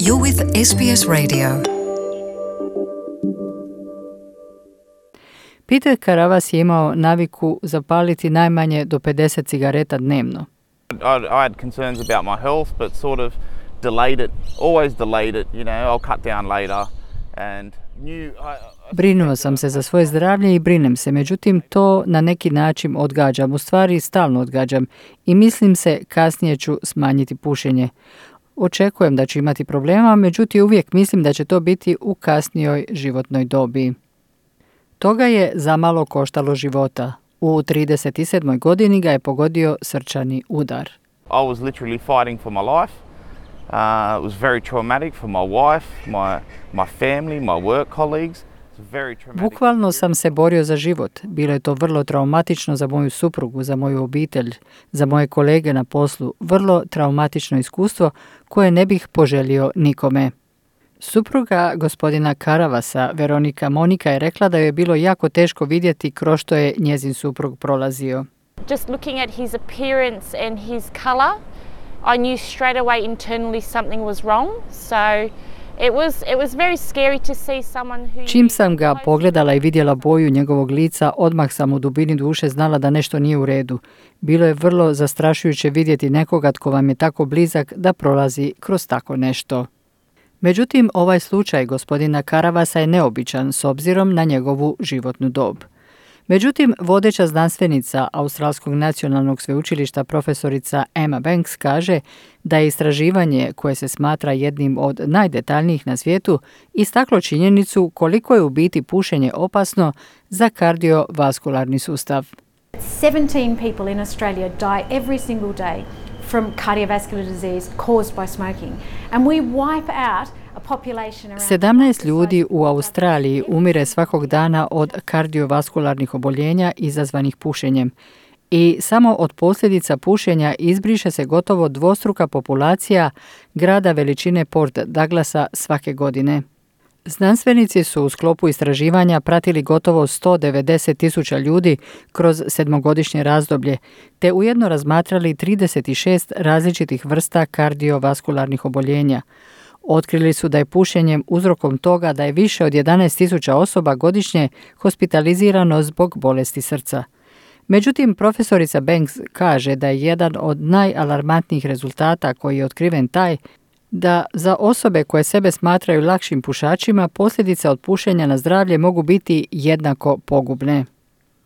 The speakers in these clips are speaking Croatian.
You're with SBS Radio. Peter Karavas je imao naviku zapaliti najmanje do 50 cigareta dnevno. I had concerns about my health, but sort of always delayed it, I'll cut down later and Brinuo sam se za svoje zdravlje i brinem se, međutim to na neki način odgađam, u stvari stalno odgađam i mislim se kasnije ću smanjiti pušenje. Očekujem da ću imati problema, međutim uvijek mislim da će to biti u kasnijoj životnoj dobi. Toga je zamalo koštalo života. U 37. godini ga je pogodio srčani udar. I was literally fighting for my life. It was very traumatic for my wife, my family, my work colleagues. Bukvalno sam se borio za život. Bilo je to vrlo traumatično za moju suprugu, za moju obitelj, za moje kolege na poslu. Vrlo traumatično iskustvo koje ne bih poželio nikome. Supruga gospodina Karavasa, Veronika Monika, je rekla da joj je bilo jako teško vidjeti kroz što je njezin suprug prolazio. Just looking at his appearance and his color, I knew straight away internally something was wrong. So it was very scary to see someone who... Čim sam ga pogledala i vidjela boju njegovog lica, odmah sam u dubini duše znala da nešto nije u redu. Bilo je vrlo zastrašujuće vidjeti nekoga tko vam je tako blizak da prolazi kroz tako nešto. Međutim, ovaj slučaj gospodina Karavasa je neobičan s obzirom na njegovu životnu dob. Međutim, vodeća znanstvenica Australskog nacionalnog sveučilišta profesorica Emma Banks kaže da je istraživanje, koje se smatra jednim od najdetaljnijih na svijetu, istaklo činjenicu koliko je u biti pušenje opasno za kardiovaskularni sustav. 17 people in Australia die every single day from cardiovascular disease caused by smoking. And we wipe out 17 ljudi u Australiji umire svakog dana od kardiovaskularnih oboljenja izazvanih pušenjem. I samo od posljedica pušenja izbriše se gotovo dvostruka populacija grada veličine Port Douglasa svake godine. Znanstvenici su u sklopu istraživanja pratili gotovo 190.000 ljudi kroz 7-godišnje razdoblje, te ujedno razmatrali 36 različitih vrsta kardiovaskularnih oboljenja. Otkrili su da je pušenjem uzrokom toga da je više od 11.000 osoba godišnje hospitalizirano zbog bolesti srca. Međutim, profesorica Banks kaže da je jedan od najalarmantnijih rezultata koji je otkriven taj da za osobe koje sebe smatraju lakšim pušačima posljedice od pušenja na zdravlje mogu biti jednako pogubne.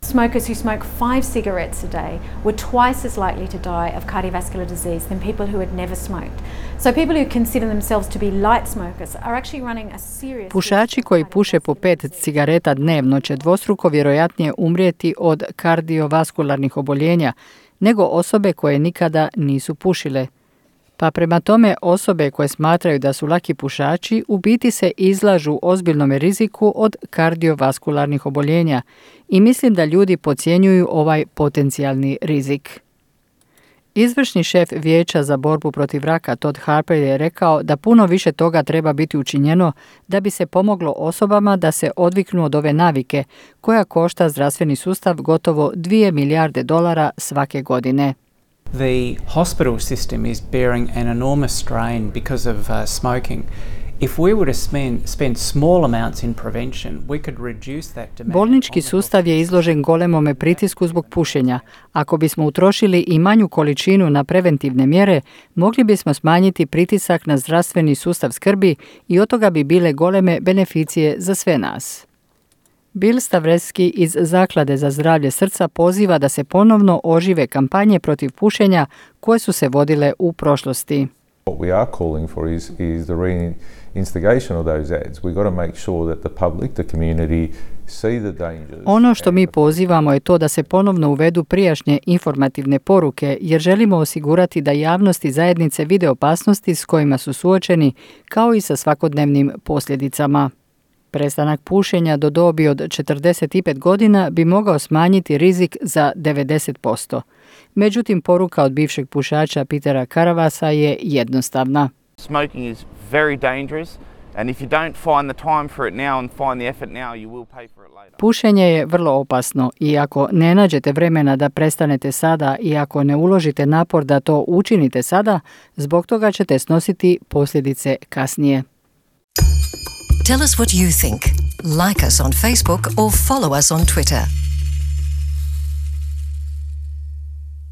Smokers who smoke 5 cigarettes a day were twice as likely to die of cardiovascular disease than people who had never smoked. So people who consider themselves to be light smokers are actually running a serious... Pušači koji puše po 5 cigareta dnevno će dvostruko vjerojatnije umrijeti od kardiovaskularnih oboljenja nego osobe koje nikada nisu pušile. Pa prema tome osobe koje smatraju da su laki pušači u biti se izlažu ozbiljnom riziku od kardiovaskularnih oboljenja i mislim da ljudi podcjenjuju ovaj potencijalni rizik. Izvršni šef Vijeća za borbu protiv raka Todd Harper je rekao da puno više toga treba biti učinjeno da bi se pomoglo osobama da se odviknu od ove navike koja košta zdravstveni sustav gotovo $2 milijarde svake godine. The hospital system is bearing an enormous strain because of smoking. If we were to spend small amounts in prevention, we could reduce that demand. Bolnički sustav je izložen golemome pritisku zbog pušenja. Ako bismo utrošili i manju količinu na preventivne mjere, mogli bismo smanjiti pritisak na zdravstveni sustav skrbi i od toga bi bile goleme beneficije za sve nas. Bill Stavreski iz Zaklade za zdravlje srca poziva da se ponovno ožive kampanje protiv pušenja koje su se vodile u prošlosti. What we are calling for is the reinstigation of those ads. We've got to make sure that the public, the community see the dangers. Ono što mi pozivamo je to da se ponovno uvedu prijašnje informativne poruke, jer želimo osigurati da javnost i zajednice vide opasnosti s kojima su suočeni, kao i sa svakodnevnim posljedicama. Prestanak pušenja do dobi od 45 godina bi mogao smanjiti rizik za 90%. Međutim, poruka od bivšeg pušača Petera Karavasa je jednostavna. Smoking is very dangerous. And if you don't find the time for it now and find the effort now, you will pay for it later. Pušenje je vrlo opasno i ako ne nađete vremena da prestanete sada i ako ne uložite napor da to učinite sada, zbog toga ćete snositi posljedice kasnije. Tell us what you think. Like us on Facebook or follow us on Twitter.